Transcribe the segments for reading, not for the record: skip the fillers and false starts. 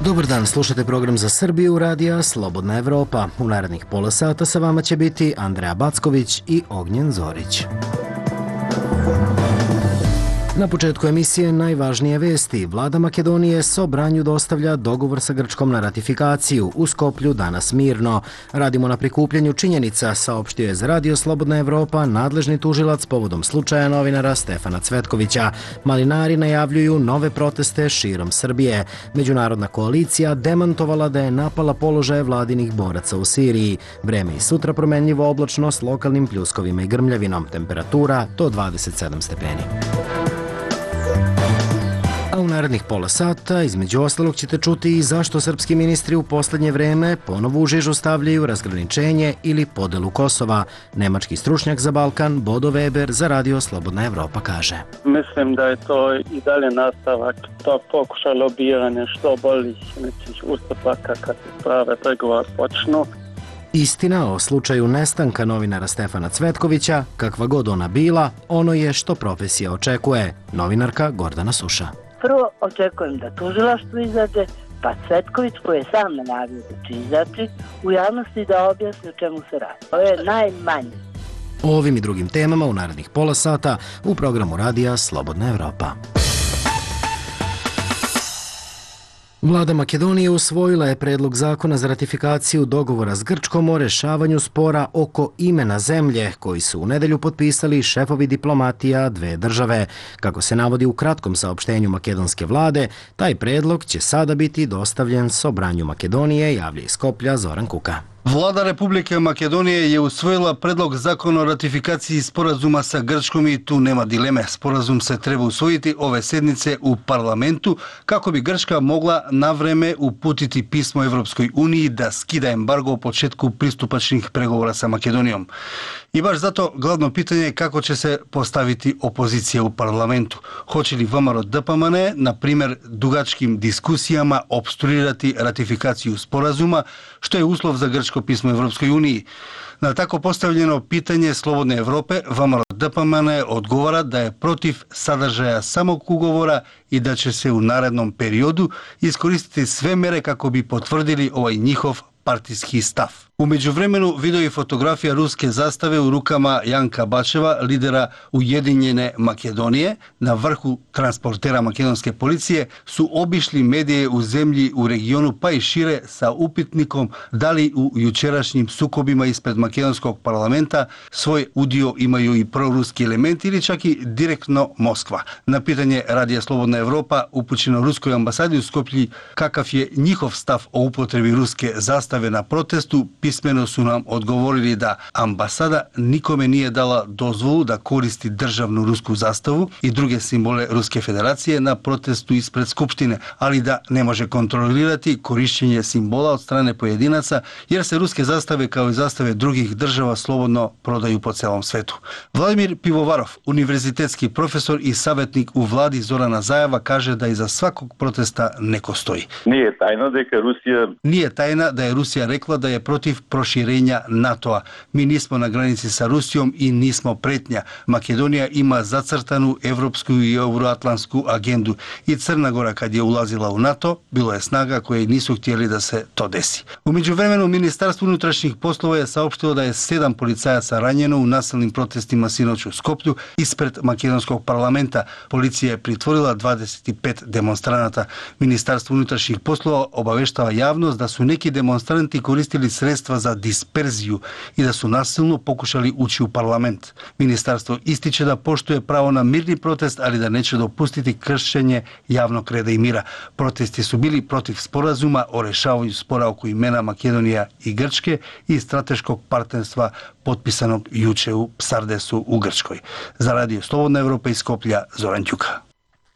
Dobar dan, slušate program za Srbiju radija Slobodna Evropa. U narednih pola sata sa vama će biti Andreja Backović i Ognjen Zorić. Na početku emisije najvažnije vesti. Vlada Makedonije Sobranju dostavlja dogovor sa Grčkom na ratifikaciju. U Skoplju danas mirno. Radimo na prikupljanju činjenica, saopštio je za radio Slobodna Evropa nadležni tužilac povodom slučaja novinara Stefana Cvetkovića. Malinari najavljuju nove proteste širom Srbije. Međunarodna koalicija demantovala da je napala položaje vladinih boraca u Siriji. Vreme i sutra promenljivo oblačno s lokalnim pljuskovima i grmljavinom. Temperatura do 27 stepeni. A u narednih pola sata, između ostalog, ćete čuti i zašto srpski ministri u poslednje vreme ponovo u žižu stavljaju razgraničenje ili podelu Kosova. Nemački stručnjak za Balkan, Bodo Weber, za radio Slobodna Evropa kaže. Mislim da je to i dalje nastavak to pokuša lobiranja što boljih nekih ustupaka kad se prave pregovore počnu. Istina o slučaju nestanka novinara Stefana Cvetkovića, kakva god ona bila, ono je što profesija očekuje. Novinarka Gordana Suša. Prvo očekujem da tužilaštvo izađe, pa Cvetković, koji je sam najavio da će izaći, u javnosti da objasni o čemu se radi. To je najmanje. O ovim i drugim temama u narednih pola sata u programu radija Slobodna Evropa. Vlada Makedonije usvojila je predlog zakona za ratifikaciju dogovora s Grčkom o rešavanju spora oko imena zemlje, koji su u nedelju potpisali šefovi diplomatija dve države. Kako se navodi u kratkom saopštenju makedonske vlade, taj predlog će sada biti dostavljen Sobranju Makedonije, javlja iz Skoplja Zoran Kuka. Vlada Republike Makedonije je usvojila predlog zakona o ratifikaciji sporazuma sa Grčkom i tu nema dileme. Sporazum se treba usvojiti ove sednice u parlamentu kako bi Grčka mogla na vreme uputiti pismo Evropskoj uniji da skida embargo o početku pristupačnih pregovora sa Makedonijom. I baš zato glavno pitanje je kako će se postaviti opozicija u parlamentu. Hoće li ВМРО ДПМН, na primjer, dugačkim diskusijama obstruirati ratifikaciju sporazuma, što je uslov za grčko pismo Evropskoj uniji. Na tako postavljeno pitanje Slobodne Evrope, ВМРО ДПМН odgovara da je protiv sadržaja samog ugovora i da će se u narednom periodu iskoristiti sve mere kako bi potvrdili ovaj njihov partijski stav. U međuvremenu video i fotografija ruske zastave u rukama Janka Bačeva, lidera Ujedinjene Makedonije, na vrhu transportera makedonske policije, su obišli medije u zemlji u regionu pa i šire sa upitnikom da li u jučerašnjim sukobima ispred makedonskog parlamenta svoj udio imaju i proruski elementi ili čak i direktno Moskva. Na pitanje Radija Slobodna Evropa upućeno ruskoj ambasadi u Skoplji kakav je njihov stav o upotrebi ruske zastave na protestu, pismeno su nam odgovorili da ambasada nikome nije dala dozvolu da koristi državnu rusku zastavu i druge simbole Ruske federacije na protestu ispred Skupštine, ali da ne može kontrolirati korišćenje simbola od strane pojedinaca jer se ruske zastave kao i zastave drugih država slobodno prodaju po celom svetu. Vladimir Pivovarov, univerzitetski profesor i savjetnik u vladi Zorana Zajeva, kaže da iza svakog protesta neko stoji. Nije tajna da je Rusija rekla da je protiv proširenja NATO-a. Mi nismo na granici sa Rusijom i nismo pretnja. Makedonija ima zacrtanu evropsku i euroatlantsku agendu i Crna Gora kad je ulazila u NATO, bilo je snaga koje nisu htjeli da se to desi. U međuvremenu Ministarstvo unutrašnjih poslova je saopštilo da je 7 policajaca ranjeno u nasilnim protestima sinoć u Skoplju ispred makedonskog parlamenta. Policija je pritvorila 25 demonstranata. Ministarstvo unutrašnjih poslova obaveštava javnost da su neki demonstranti koristili sredstva za disperziju i da su nasilno pokušali ući u parlament. Ministarstvo ističe da poštuje pravo na mirni protest, ali da neće dopustiti kršenje javnog reda i mira. Protesti su bili protiv sporazuma o rešavanju spora oko imena Makedonija i Grčke i strateškog partnerstva potpisanog juče u Psardesu u Grčkoj. Za radio Slobodna Evropa iz Skoplja, Zoran Ćuka.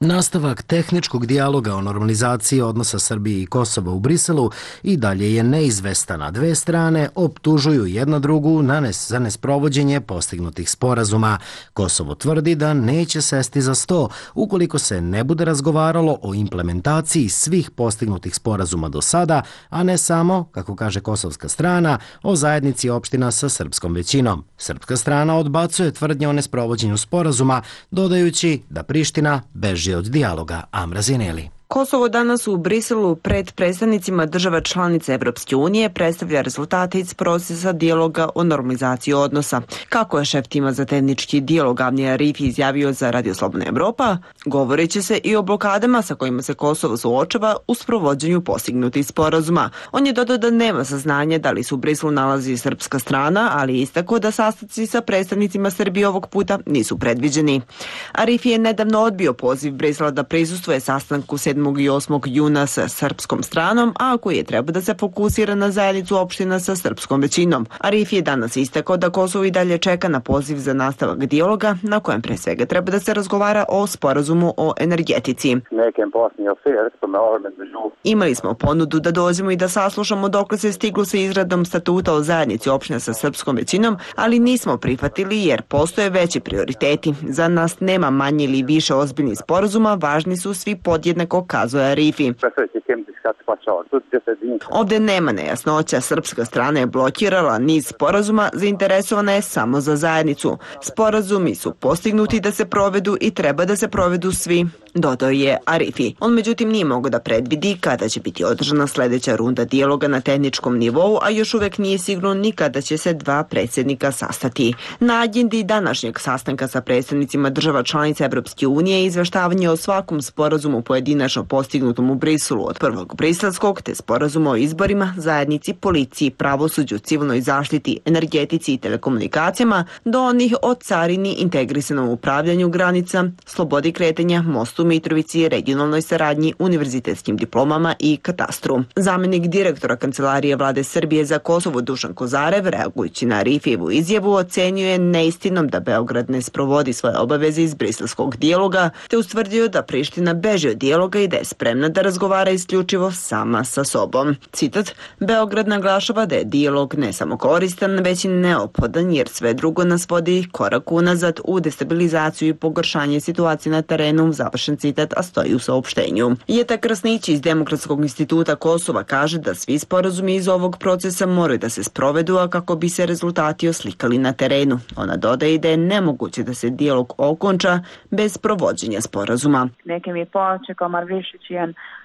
Nastavak tehničkog dijaloga o normalizaciji odnosa Srbije i Kosova u Briselu i dalje je neizvestan, a dve strane optužuju jedna drugu za nesprovođenje postignutih sporazuma. Kosovo tvrdi da neće sesti za sto ukoliko se ne bude razgovaralo o implementaciji svih postignutih sporazuma do sada, a ne samo, kako kaže kosovska strana, o zajednici opština sa srpskom većinom. Srpska strana odbacuje tvrdnje o nesprovođenju sporazuma, dodajući da Priština beži od dijaloga. Amra Zineli. Kosovo danas u Briselu pred predstavnicima država članica Evropske unije predstavlja rezultate iz procesa dijaloga o normalizaciji odnosa. Kako je šef tima za tehnički dijalog Avni Arifi izjavio za Radio Slobodna Evropa, govoreći se i o blokadama sa kojima se Kosovo suočava u sprovođenju postignutih sporazuma. On je dodao da nema saznanja da li se u Briselu nalazi srpska strana, ali je istakao da sastanci sa predstavnicima Srbije ovog puta nisu predviđeni. Arifi je nedavno odbio poziv Brisela da prisustvuje sastanku 7. i 8. juna sa srpskom stranom, a koji je trebao da se fokusira na zajednicu opština sa srpskom većinom. Arifi je danas istakao da Kosovo i dalje čeka na poziv za nastavak dijaloga, na kojem pre svega treba da se razgovara o sporazumu o energetici. Imali smo ponudu da dođemo i da saslušamo dokle se stiglo sa izradom statuta o zajednici opština sa srpskom većinom, ali nismo prihvatili jer postoje veći prioriteti. Za nas nema manje ili više ozbiljnih sporazuma, važni su svi podjednako, kazuje Arifi. Ovde nema nejasnoća, srpska strana je blokirala niz sporazuma, zainteresovana je samo za zajednicu. Sporazumi su postignuti da se provedu i treba da se provedu svi, dodao je Arifi. On međutim nije mogao da predvidi kada će biti održana sledeća runda dijaloga na tehničkom nivou, a još uvek nije sigurno ni kada će se dva predsjednika sastati. Na agendi današnjeg sastanka sa predstavnicima država članica Evropske unije izveštavanje o svakom sporazumu pojedinačno postignutom u Briselu, od prvog briselskog te sporazuma o izborima, zajednici, policiji, pravosuđu, civilnoj zaštiti, energetici i telekomunikacijama, do onih o carini, integrisanom upravljanju granica, slobodi kretanja, mostu Mitrovici, regionalnoj saradnji, univerzitetskim diplomama i katastru. Zamenik direktora Kancelarije Vlade Srbije za Kosovo Dušan Kozarev, reagujući na Arifijevu izjavu, ocenjuje neistinom da Beograd ne sprovodi svoje obaveze iz briselskog dijaloga, te ustvrdio da Priština beži od dijaloga i da je spremna da razgovara isključivo sama sa sobom. Citat, Beograd naglašava da je dijalog ne samo koristan, već i neophodan jer sve drugo nas vodi korak unazad u destabilizaciju i pogoršanje situacije na terenu, završen citat, a stoji u saopštenju. Jeta Krasnić iz Demokratskog instituta Kosova kaže da svi sporazumi iz ovog procesa moraju da se sprovedu, a kako bi se rezultati oslikali na terenu. Ona dodaje da je nemoguće da se dijalog okonča bez provođenja sporazuma.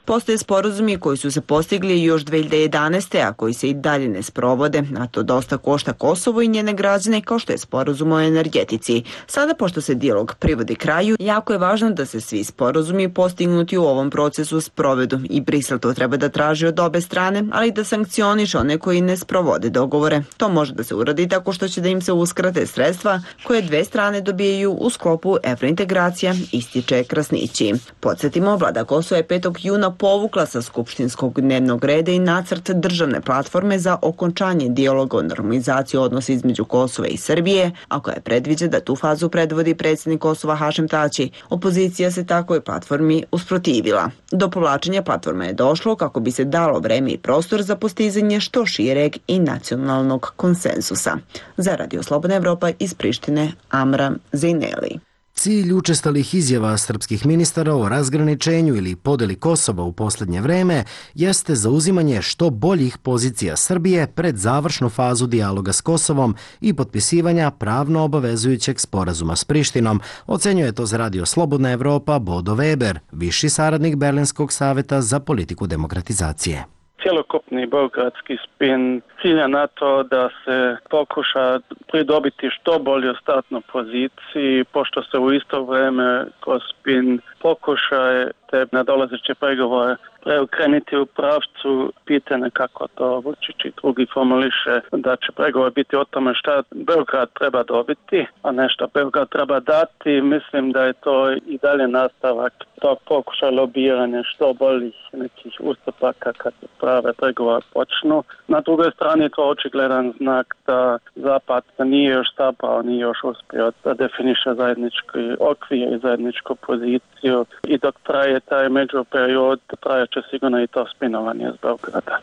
Postoje sporazumi koji su se postigli još 2011. a koji se i dalje ne sprovode, a to dosta košta Kosovo i njene građane, kao što je sporazum o energetici. Sada, pošto se dijalog privodi kraju, jako je važno da se svi sporazumi postignuti u ovom procesu sprovedu i Brisel to treba da traži od obe strane, ali da sankcioniše one koji ne sprovode dogovore. To može da se uradi tako što će da im se uskrate sredstva koje dve strane dobijaju u sklopu evrointegracija, ističe Krasnići. Podsjetimo, vlada Kosova je 5. juna povukla sa skupštinskog dnevnog reda i nacrt državne platforme za okončanje dijaloga o normalizaciji odnosa između Kosova i Srbije, a koja predviđa da tu fazu predvodi predsjednik Kosova Hašem Tači. Opozicija se takvoj platformi usprotivila. Do povlačenja platforme je došlo kako bi se dalo vreme i prostor za postizanje što šireg i nacionalnog konsensusa. Za Radio Slobodna Evropa iz Prištine, Amra Zejneli. Cilj učestalih izjava srpskih ministara o razgraničenju ili podeli Kosova u posljednje vreme jeste zauzimanje što boljih pozicija Srbije pred završnu fazu dijaloga s Kosovom i potpisivanja pravno obavezujućeg sporazuma s Prištinom, ocenjuje to za Radio Slobodna Evropa Bodo Weber, viši saradnik Berlinskog saveta za politiku demokratizacije. Cjelokupni beogradski spin cilja na to da se pokuša pridobiti što bolju startnu poziciju, pošto se u isto vrijeme kroz spin pokušaje te nadolazeće pregovore preokrenuti u pravcu pitanja kako to Vučić i drugi formuliše da će pregovor biti o tome šta Beograd treba dobiti, a ne šta Beograd treba dati. Mislim da je to i dalje nastavak tog pokušaja lobiranja što boljih nekih ustupaka kad se prave pregovore počnu. Na drugoj strani to očigledan znak da Zapad nije još sabao, nije još uspio da definiše zajednički okvir i zajedničku poziciju i dok traje taj međuperiod, traje će sigurno i to spinovanje iz Beograda.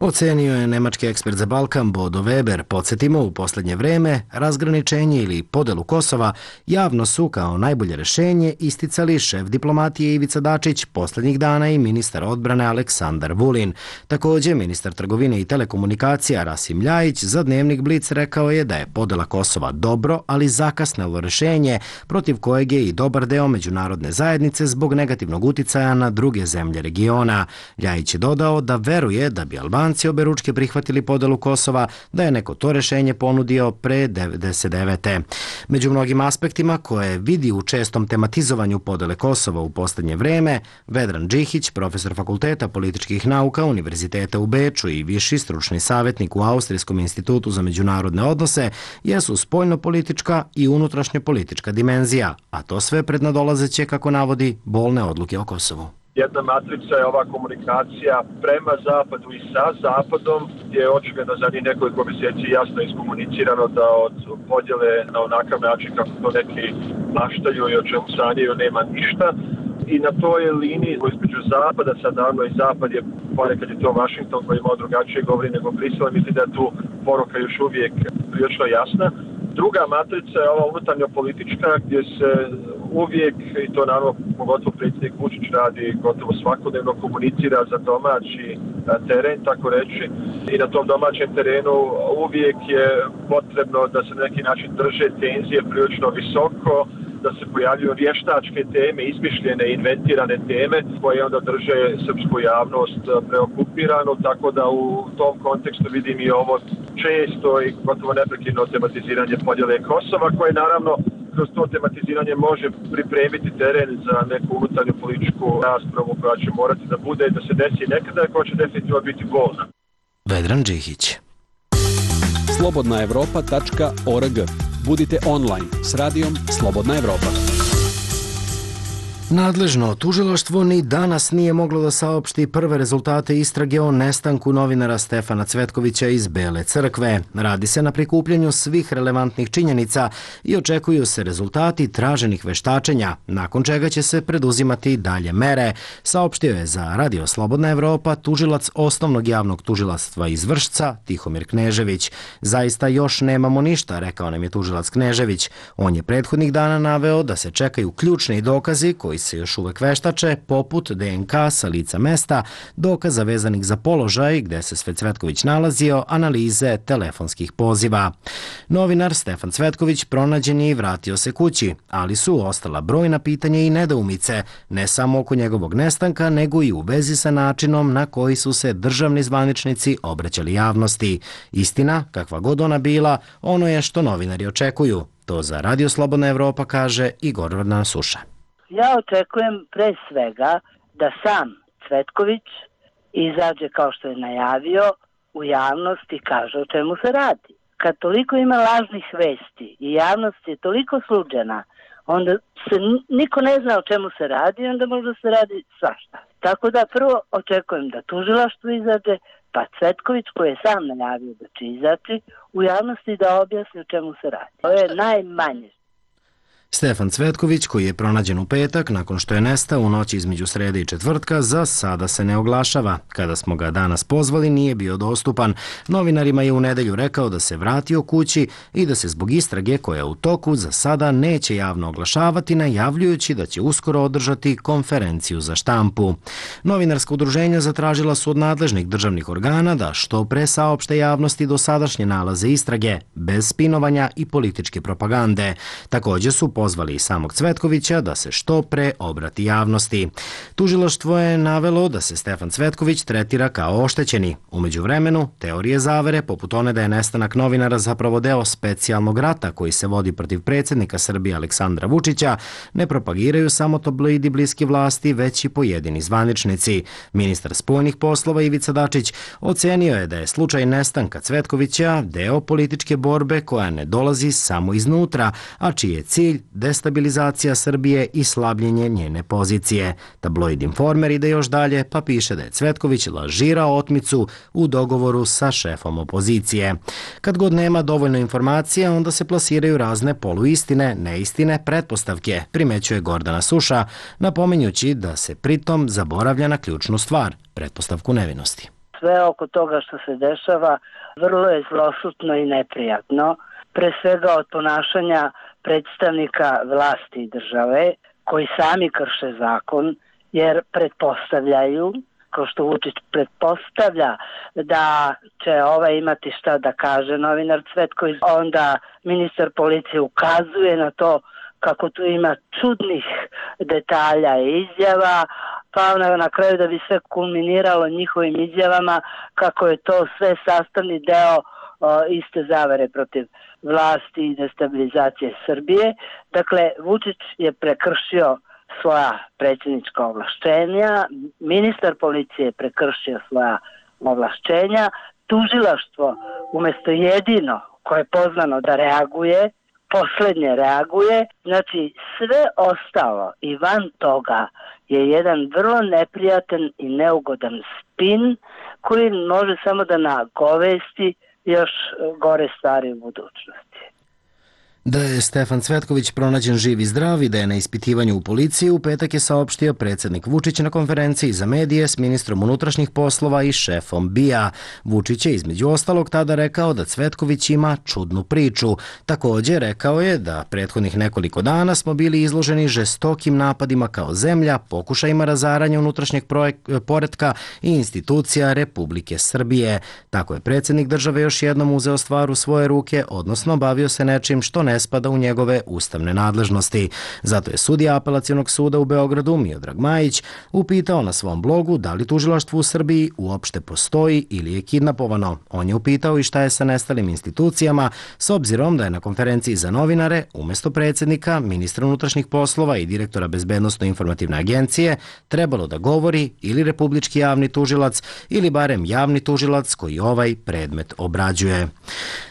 Ocenio je nemački ekspert za Balkan Bodo Weber. Podsjetimo, u posljednje vreme razgraničenje ili podelu Kosova javno su kao najbolje rješenje isticali šef diplomatije Ivica Dačić, posljednjih dana i ministar odbrane Aleksandar Vulin. Također, ministar trgovine i telekomunikacija Rasim Ljajić za dnevnik Blic rekao je da je podela Kosova dobro, ali zakasnelo rješenje protiv kojeg je i dobar deo međunarodne zajednice zbog negativnog uticaja na druge zemlje regiona. Ljajić je dodao da veruje da bi Albanci oberučke prihvatili podelu Kosova, da je neko to rješenje ponudio pre 1999. Među mnogim aspektima koje vidi u čestom tematizovanju podele Kosova u posljednje vreme, Vedran Džihić, profesor Fakulteta političkih nauka Univerziteta u Beču i viši stručni savjetnik u Austrijskom institutu za međunarodne odnose, jesu spoljnopolitička i unutrašnjopolitička dimenzija, a to sve pred nadolazeće, kako navodi, bolne odluke o Kosovu. Jedna matrica je ova komunikacija prema Zapadu i sa Zapadom, gdje je očigledno za njih nekoliko mjeseci jasno iskomunicirano da od podjele na onakav način kako to neki maštaju i o čemu sanjaju nema ništa. I na toj liniji između Zapada, sad naravno i Zapad je, ponekad je to Washington koji imao drugačije govori nego Brisel, mislim da je tu poruka još uvijek prilično jasna. Druga matrica je ova unutarnjo politička gdje se uvijek, i to naravno pogotovo predsjednik Vučić radi gotovo svakodnevno, komunicira za domaći teren, tako reći. I na tom domaćem terenu uvijek je potrebno da se na neki način drže tenzije prilično visoko, da se pojavljuju vještačke teme, izmišljene, inventirane teme koje onda drže srpsku javnost preokupiranu, tako da u tom kontekstu vidim i ovo često i gotovo neprekidno tematiziranje podjele Kosova, koje naravno kroz to tematiziranje može pripremiti teren za neku unutarnju političku raspravu koja će morati da bude i da se desi nekada, koja će definitivno biti bolna. Vedran Džihić. slobodnaevropa.org. Budite online s radijom Slobodna Evropa. Nadležno tužilaštvo ni danas nije moglo da saopšti prve rezultate istrage o nestanku novinara Stefana Cvetkovića iz Bele crkve. Radi se na prikupljanju svih relevantnih činjenica i očekuju se rezultati traženih veštačenja, nakon čega će se preduzimati dalje mere, saopštio je za Radio Slobodna Evropa tužilac Osnovnog javnog tužilaštva iz Vršca, Tihomir Knežević. Zaista još nemamo ništa, rekao nam je tužilac Knežević. On je prethodnih dana naveo da se čekaju ključni dokazi koji se još uvek veštače, poput DNK sa lica mesta, dokaza vezanih za položaj gde se sve Cvetković nalazio, analize telefonskih poziva. Novinar Stefan Cvetković pronađen je i vratio se kući, ali su ostala brojna pitanja i nedoumice, ne samo oko njegovog nestanka, nego i u vezi sa načinom na koji su se državni zvaničnici obraćali javnosti. Istina, kakva god ona bila, ono je što novinari očekuju. To za Radio Slobodna Evropa kaže Igor Gordana Suša. Ja očekujem pre svega da sam Cvetković izađe kao što je najavio u javnost i kaže o čemu se radi. Kad toliko ima lažnih vesti i javnost je toliko sluđena, onda se niko ne zna o čemu se radi i onda možda se radi svašta. Tako da prvo očekujem da tužilaštvo izađe, pa Cvetković koji je sam najavio da će izaći u javnosti da objasni o čemu se radi. To je najmanje. Stefan Cvetković, koji je pronađen u petak nakon što je nestao u noći između srede i četvrtka, za sada se ne oglašava. Kada smo ga danas pozvali, nije bio dostupan. Novinarima je u nedelju rekao da se vratio kući i da se zbog istrage koja je u toku za sada neće javno oglašavati, najavljujući da će uskoro održati konferenciju za štampu. Novinarska udruženja zatražila su od nadležnih državnih organa da što pre saopšte javnosti dosadašnje nalaze istrage, bez spinovanja i političke propagande. Također su pozvali i samog Cvetkovića da se što pre obrati javnosti. Tužilaštvo je navelo da se Stefan Cvetković tretira kao oštećeni. U međuvremenu, teorije zavere, poput one da je nestanak novinara zapravo deo specijalnog rata koji se vodi protiv predsjednika Srbije Aleksandra Vučića, ne propagiraju samo tabloidi bliski vlasti, već i pojedini zvaničnici. Ministar spoljnih poslova Ivica Dačić ocenio je da je slučaj nestanka Cvetkovića deo političke borbe koja ne dolazi samo iznutra, a čiji je cilj destabilizacija Srbije i slabljenje njene pozicije. Tabloid Informer ide još dalje pa piše da je Cvetković lažirao otmicu u dogovoru sa šefom opozicije. Kad god nema dovoljno informacije, onda se plasiraju razne poluistine, neistine, pretpostavke, primećuje Gordana Suša, napominjući da se pritom zaboravlja na ključnu stvar, pretpostavku nevinosti. sve oko toga što se dešava vrlo je zlosutno i neprijatno. Pre svega od ponašanja predstavnika vlasti i države koji sami krše zakon jer pretpostavljaju, kao što Vučić pretpostavlja da će imati šta da kaže novinar Cvetković, onda ministar policije ukazuje na to kako tu ima čudnih detalja i izjava, pa na kraju da bi sve kulminiralo njihovim izjavama kako je to sve sastavni deo iste zavere protiv vlasti i destabilizacije Srbije. Dakle, Vučić je prekršio svoja predsjednička ovlašćenja, ministar policije je prekršio svoja ovlašćenja, tužilaštvo umjesto jedino koje je pozvano da reaguje, poslednje reaguje, znači sve ostalo i van toga je jedan vrlo neprijatan i neugodan spin koji može samo da nagovesti još gore stvari u budućnosti. Da je Stefan Cvetković pronađen živ i zdrav i da je na ispitivanju u policiji, u petak je saopštio predsjednik Vučić na konferenciji za medije s ministrom unutrašnjih poslova i šefom BIA. Vučić je između ostalog tada rekao da Cvetković ima čudnu priču. Također rekao je da prethodnih nekoliko dana smo bili izloženi žestokim napadima kao zemlja, pokušajima razaranja unutrašnjeg poretka i institucija Republike Srbije. Tako je predsjednik države još jednom uzeo stvar u svoje ruke, odnosno bavio se nečim što ne spada u njegove ustavne nadležnosti. Zato je sudija Apelacionog suda u Beogradu Miodrag Majić upitao na svom blogu da li tužilaštvo u Srbiji uopšte postoji ili je kidnapovano. On je upitao i šta je sa nestalim institucijama, s obzirom da je na konferenciji za novinare umjesto predsjednika, ministra unutrašnjih poslova i direktora Bezbednosno-informativne agencije trebalo da govori ili republički javni tužilac ili barem javni tužilac koji ovaj predmet obrađuje.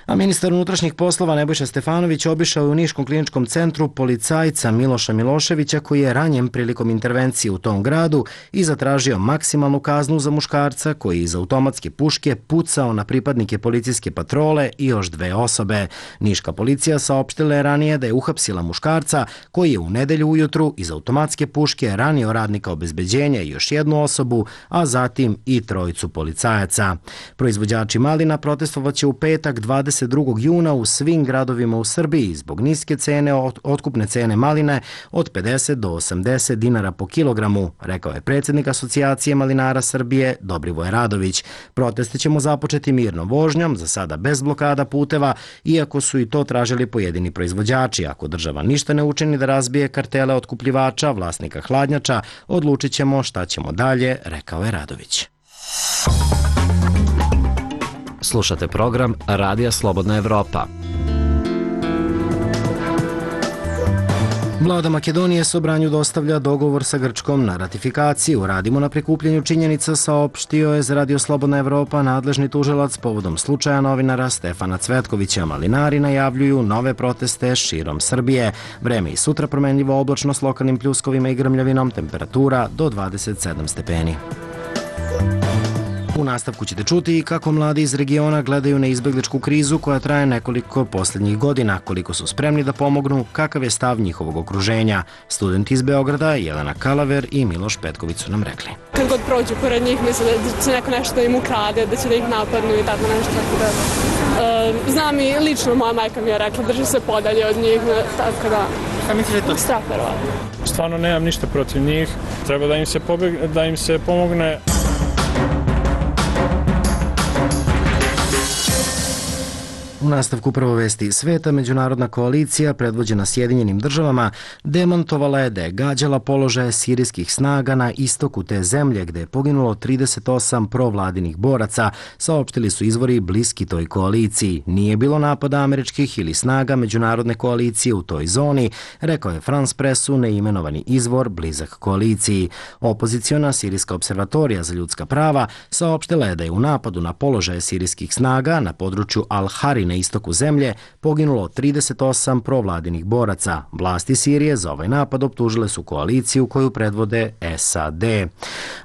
A ministar unutrašnjih poslova Nebojša Stefanović obišao je u Niškom kliničkom centru policajca Miloša Miloševića koji je ranjen prilikom intervencije u tom gradu i zatražio maksimalnu kaznu za muškarca koji iz automatske puške pucao na pripadnike policijske patrole i još 2 osobe. Niška policija saopštila je ranije da je uhapsila muškarca koji je u nedelju ujutru iz automatske puške ranio radnika obezbeđenja i još 1 osobu, a zatim i 3 policajaca. Proizvođači malina protestovaće u petak 22. juna u svim gradovima u Srbiji zbog niske cene otkupne cene maline od 50 do 80 dinara po kilogramu, rekao je predsjednik Asocijacije malinara Srbije Dobrivoje Radović. Proteste ćemo započeti mirnom vožnjom, za sada bez blokada puteva, iako su i to tražili pojedini proizvođači. Ako država ništa ne učini da razbije kartele otkupljivača, vlasnika hladnjača, odlučit ćemo šta ćemo dalje, rekao je Radović. Slušate program Radija Slobodna Evropa. Vlada Makedonije Sobranju dostavlja dogovor sa Grčkom na ratifikaciju. Radimo na prikupljanju činjenica, saopštio je za Radio Slobodna Evropa nadležni tužilac povodom slučaja novinara Stefana Cvetkovića. Malinari najavljuju nove proteste širom Srbije. Vreme i sutra promenljivo, oblačno s lokalnim pljuskovima i grmljavinom, temperatura do 27 stepeni. U nastavku ćete čuti kako mladi iz regiona gledaju na izbegličku krizu koja traje nekoliko posljednjih godina, koliko su spremni da pomognu, kakav je stav njihovog okruženja. Studenti iz Beograda, Jelena Kalaver i Miloš Petković su nam rekli. Kad god prođu pored njih, misle da će neko nešto da im ukrade, da će da ih napadnu i tako nešto. Znam i lično, moja majka mi je rekla, drži se podalje od njih, tako da... Šta misliš to? Strah verovatno. Stvarno nemam ništa protiv njih, treba da im se pomogne. U nastavku prvo vesti sveta, međunarodna koalicija predvođena Sjedinjenim državama demantovala je da je gađala položaje sirijskih snaga na istoku te zemlje gde je poginulo 38 provladinih boraca, saopštili su izvori bliski toj koaliciji. Nije bilo napada američkih ili snaga međunarodne koalicije u toj zoni, rekao je France Pressu neimenovani izvor blizak koaliciji. Opoziciona Sirijska observatorija za ljudska prava saopštila je da je u napadu na položaje sirijskih snaga na području Al-Harin na istoku zemlje poginulo 38 provladinih boraca. Vlasti Sirije za ovaj napad optužile su koaliciju koju predvode SAD.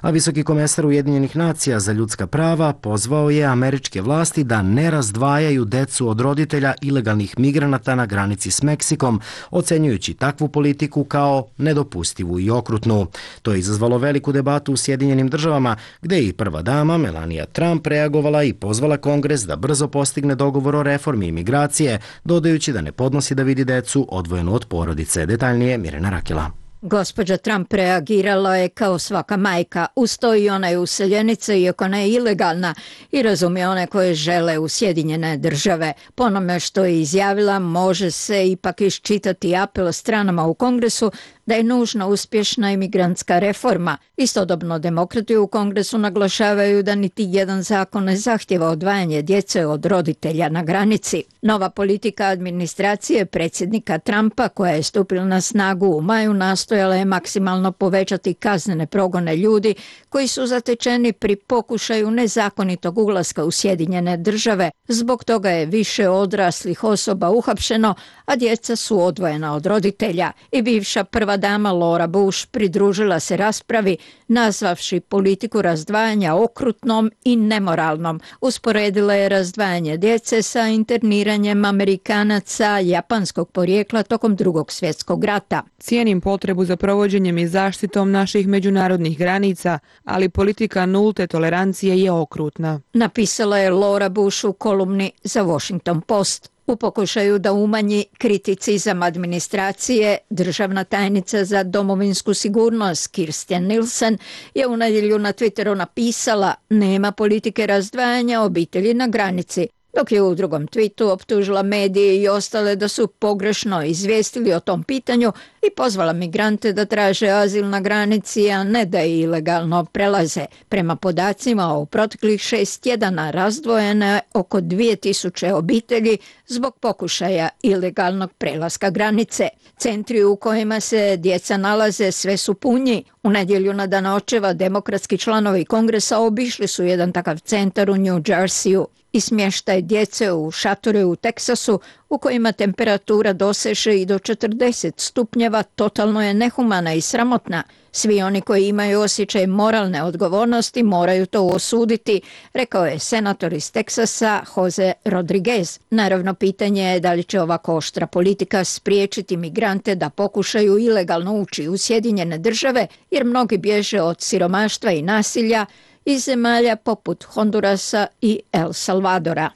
A visoki komesar Ujedinjenih nacija za ljudska prava pozvao je američke vlasti da ne razdvajaju decu od roditelja ilegalnih migranata na granici s Meksikom, ocenjujući takvu politiku kao nedopustivu i okrutnu. To je izazvalo veliku debatu u Sjedinjenim državama, gde je i prva dama Melania Trump reagovala i pozvala Kongres da brzo postigne dogovor o reformi imigracije, dodajući da ne podnosi da vidi decu odvojenu od porodice. Detaljnije Mirjana Rakela. Gospođa Trump reagirala je kao svaka majka, uz to i ona je useljenica iako ona je ilegalna i razumije one koje žele u Sjedinjene države. Po onome što je izjavila može se ipak iščitati apel stranama u Kongresu da je nužna uspješna imigrantska reforma. Istodobno demokrati u Kongresu naglašavaju da niti jedan zakon ne zahtjeva odvajanje djece od roditelja na granici. Nova politika administracije predsjednika Trumpa, koja je stupila na snagu u maju, nastojala je maksimalno povećati kaznene progone ljudi koji su zatečeni pri pokušaju nezakonitog ulaska u Sjedinjene države. Zbog toga je više odraslih osoba uhapšeno, a djeca su odvojena od roditelja. I bivša prva dama Laura Bush pridružila se raspravi, nazvavši politiku razdvajanja okrutnom i nemoralnom. Usporedila je razdvajanje djece sa interniranjem Amerikanaca japanskog porijekla tokom Drugog svjetskog rata. Cijenim potrebu za provođenjem i zaštitom naših međunarodnih granica, ali politika nulte tolerancije je okrutna. Napisala je Laura Bush u kolumni za Washington Post. U pokušaju da umanji kriticizam administracije, državna tajnica za domovinsku sigurnost Kirstjen Nielsen je u nedjelju na Twitteru napisala: nema politike razdvajanja obitelji na granici, dok je u drugom tweetu optužila medije i ostale da su pogrešno izvijestili o tom pitanju i pozvala migrante da traže azil na granici, a ne da je ilegalno prelaze. Prema podacima, u proteklih 6 tjedana razdvojeno je oko 2000 obitelji zbog pokušaja ilegalnog prelaska granice. Centri u kojima se djeca nalaze sve su punji. U nedjelju na Dan očeva demokratski članovi Kongresa obišli su jedan takav centar u New Jerseyu i smještaj djece u šatore u Teksasu u kojima temperatura doseže i do 40 stupnjeva totalno je nehumana i sramotna. Svi oni koji imaju osjećaj moralne odgovornosti moraju to osuditi, rekao je senator iz Teksasa Jose Rodriguez. Naravno, pitanje je da li će ovako oštra politika spriječiti migrante da pokušaju ilegalno ući u Sjedinjene države, jer mnogi bježe od siromaštva i nasilja iz zemalja poput Hondurasa i El Salvadora.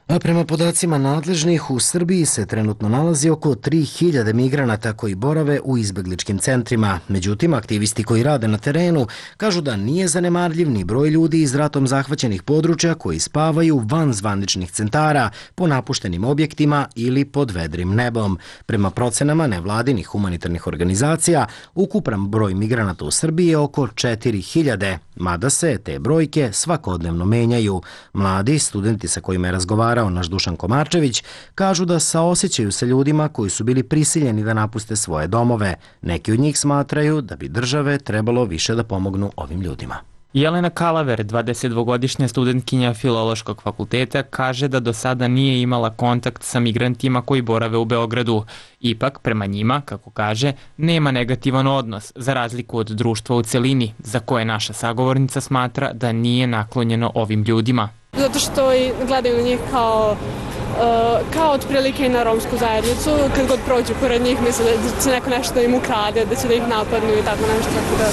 A prema podacima nadležnih, u Srbiji se trenutno nalazi oko 3000 migranata koji borave u izbegličkim centrima. Međutim, aktivisti koji rade na terenu kažu da nije zanemarljiv ni broj ljudi iz ratom zahvaćenih područja koji spavaju van zvaničnih centara, po napuštenim objektima ili pod vedrim nebom. Prema procenama nevladinih humanitarnih organizacija, ukupan broj migranata u Srbiji je oko 4000, mada se te brojke svakodnevno menjaju. Mladi studenti sa kojima je razgovarao naš Dušan Komarčević kažu da saosjećaju sa ljudima koji su bili prisiljeni da napuste svoje domove. Neki od njih smatraju da bi države trebalo više da pomognu ovim ljudima. Jelena Kalaver, 22-godišnja studentkinja Filološkog fakulteta, kaže da do sada nije imala kontakt sa migrantima koji borave u Beogradu. Ipak, prema njima, kako kaže, nema negativan odnos, za razliku od društva u celini, za koje naša sagovornica smatra da nije naklonjeno ovim ljudima. Zato što i gledaju na njih kao otprilike i na romsku zajednicu. Kad god prođu pored njih misle da će neko nešto da im ukrade, da će da ih napadnu i tako nešto. Tako da,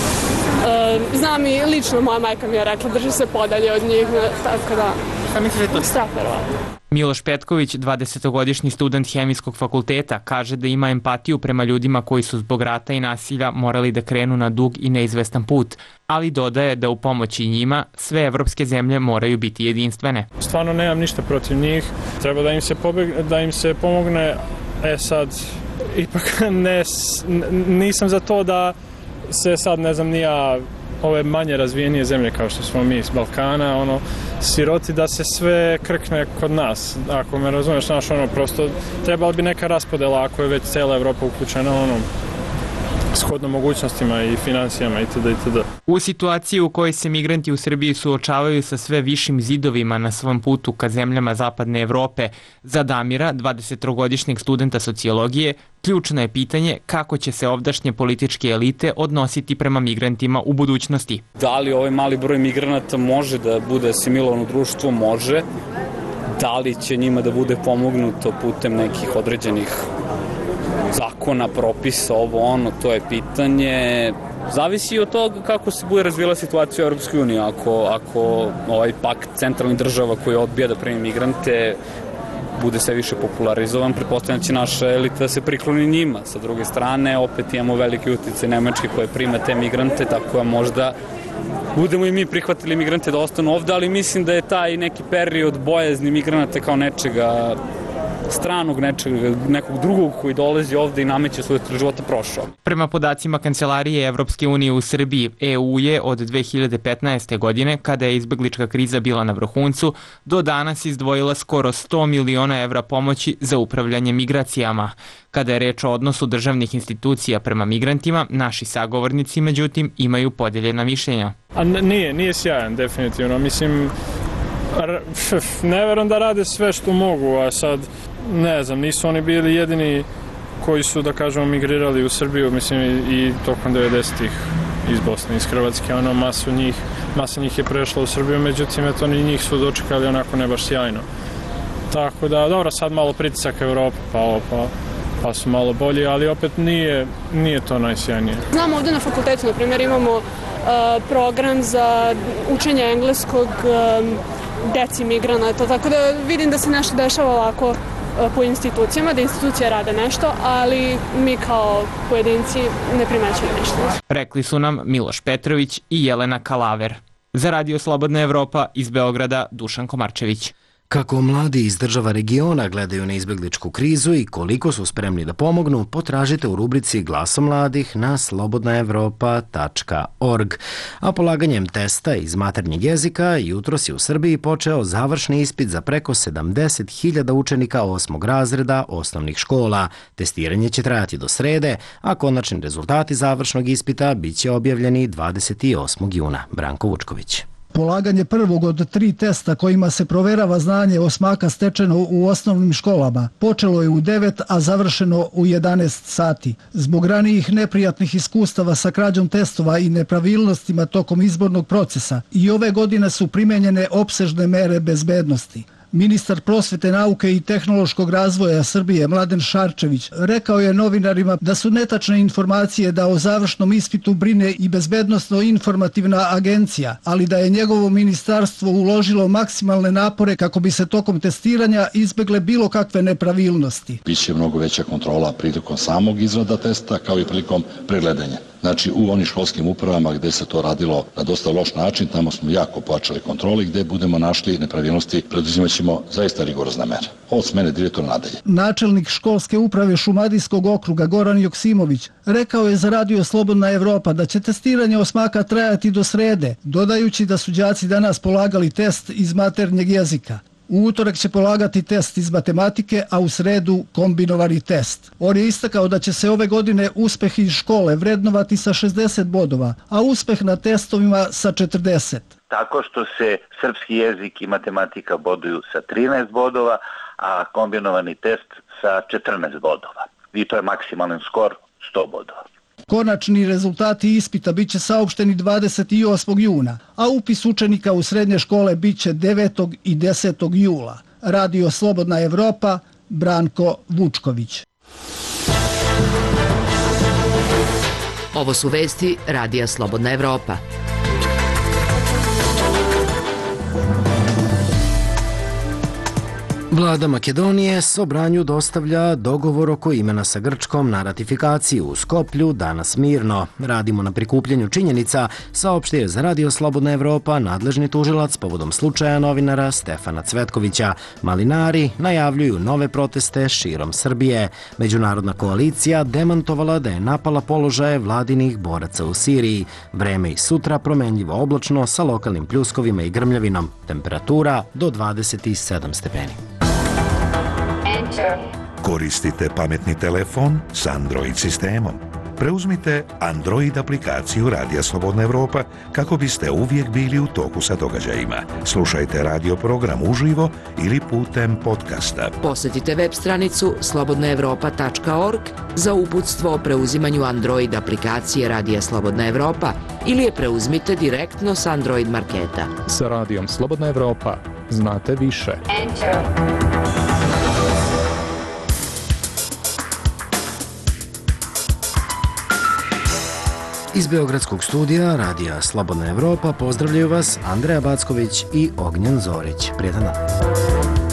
znam i lično moja majka mi je rekla drži se podalje od njih, tako da... Šta misliš to? Strah verovatno. Miloš Petković, 20-godišnji student Hemijskog fakulteta, kaže da ima empatiju prema ljudima koji su zbog rata i nasilja morali da krenu na dug i neizvestan put, ali dodaje da u pomoći njima sve evropske zemlje moraju biti jedinstvene. Stvarno nemam ništa protiv njih, treba da im se pomogne, sad ipak nisam za to da se sad ne znam nija ove manje razvijenije zemlje kao što smo mi iz Balkana, siroti da se sve krkne kod nas, ako me razumeš, prosto trebala bi neka raspodela ako je već cijela Evropa uključena, shodno mogućnostima i financijama itd. U situaciji u kojoj se migranti u Srbiji suočavaju sa sve višim zidovima na svom putu ka zemljama zapadne Evrope, za Damira, 23-godišnjeg studenta sociologije, ključno je pitanje kako će se ovdašnje političke elite odnositi prema migrantima u budućnosti. Da li ovaj mali broj migranata može da bude asimilovan u društvo? Može. Da li će njima da bude pomognuto putem nekih određenih zakona, propisa, ovo ono, to je pitanje. Zavisi od toga kako se bude razvijela situacija u Europskoj uniji. Ako ovaj pakt centralnih država koji odbija da primi migrante bude sve više popularizovan, pretpostavljam će naša elita da se prikloni njima. Sa druge strane, opet imamo veliki uticaj Nemačke koje prima te migrante, tako da možda budemo i mi prihvatili migrante da ostanu ovde, ali mislim da je taj neki period bojazni migranata kao nečega stranog, nekog drugog koji dolazi ovde i nameće svoj života prošao. Prema podacima Kancelarije Evropske unije u Srbiji, EU je od 2015. godine, kada je izbeglička kriza bila na vrhuncu, do danas izdvojila skoro 100 miliona evra pomoći za upravljanje migracijama. Kada je reč o odnosu državnih institucija prema migrantima, naši sagovornici, međutim, imaju podeljena mišljenja. Nije sjajan, definitivno. Mislim, ne verujem da rade sve što mogu, a sad, ne znam, nisu oni bili jedini koji su, da kažemo, migrirali u Srbiju, mislim, i tokom 90-ih iz Bosne, iz Hrvatske, masa njih je prešla u Srbiju, međutim, eto, oni njih su dočekali onako ne baš sjajno. Tako da, dobro, sad malo pritisak Evrope, pa su malo bolji, ali opet nije to najsjajnije. Znamo ovde na fakultetu, na primjer, imamo program za učenje engleskog deci migranata, tako da vidim da se nešto dešava ovako po institucijama, da institucije rade nešto, ali mi kao pojedinci ne primećujemo ništa. Rekli su nam Miloš Petrović i Jelena Kalaver. Za Radio Slobodna Evropa iz Beograda, Dušan Komarčević. Kako mladi iz država regiona gledaju na izbegličku krizu i koliko su spremni da pomognu, potražite u rubrici Glaso mladih na slobodnaevropa.org. A polaganjem testa iz maternjeg jezika jutros je u Srbiji počeo završni ispit za preko 70.000 učenika 8. razreda osnovnih škola. Testiranje će trajati do srede, a konačni rezultati završnog ispita biće objavljeni 28. juna. Branko Vučković. Polaganje prvog od 3 testa kojima se proverava znanje osmaka stečeno u osnovnim školama počelo je u 9, a završeno u 11 sati. Zbog ranijih neprijatnih iskustava sa krađom testova i nepravilnostima tokom izbornog procesa i ove godine su primenjene opsežne mere bezbednosti. Ministar prosvete, nauke i tehnološkog razvoja Srbije Mladen Šarčević rekao je novinarima da su netačne informacije da o završnom ispitu brine i Bezbednosno-informativna agencija, ali da je njegovo ministarstvo uložilo maksimalne napore kako bi se tokom testiranja izbegle bilo kakve nepravilnosti. Biće mnogo veća kontrola prilikom samog izrada testa kao i prilikom pregledanja. Znači, u onim školskim upravama gde se to radilo na dosta loš način, tamo smo jako pojačali kontroli, gde budemo našli nepravilnosti, preduzimat ćemo zaista rigorozne mere. Od smene direktora nadalje. Načelnik školske uprave Šumadijskog okruga Goran Joksimović rekao je za Radio Slobodna Evropa da će testiranje osmaka trajati do srede, dodajući da su đaci danas polagali test iz maternjeg jezika. U utorak će polagati test iz matematike, a u sredu kombinovani test. On je istakao da će se ove godine uspeh iz škole vrednovati sa 60 bodova, a uspeh na testovima sa 40. Tako što se srpski jezik i matematika boduju sa 13 bodova, a kombinovani test sa 14 bodova. I to je maksimalan skor 100 bodova. Konačni rezultati ispita biće saopšteni 28. juna, a upis učenika u srednje škole biće 9. i 10. jula. Radio Slobodna Evropa, Branko Vučković. Ovo su vesti Radija Slobodna Evropa. Vlada Makedonije Sobranju dostavlja dogovor oko imena sa Grčkom na ratifikaciju u Skoplju danas mirno. Radimo na prikupljenju činjenica, saopštio je za Radio Slobodna Evropa nadležni tužilac povodom slučaja novinara Stefana Cvetkovića. Malinari najavljuju nove proteste širom Srbije. Međunarodna koalicija demantovala da je napala položaje vladinih boraca u Siriji. Vreme i sutra promenljivo oblačno sa lokalnim pljuskovima i grmljavinom. Temperatura do 27 stepeni. Koristite pametni telefon s Android sistemom. Preuzmite Android aplikaciju Radija Slobodna Evropa kako biste uvijek bili u toku sa događajima. Slušajte radio program uživo ili putem podcasta. Posjetite web stranicu slobodnaevropa.org za uputstvo o preuzimanju Android aplikacije Radija Slobodna Evropa ili je preuzmite direktno s Android marketa. Sa Radijom Slobodna Evropa znate više. Iz Beogradskog studija Radija Slobodna Evropa pozdravljaju vas Andreja Backović i Ognjen Zorić. Prijetan dan.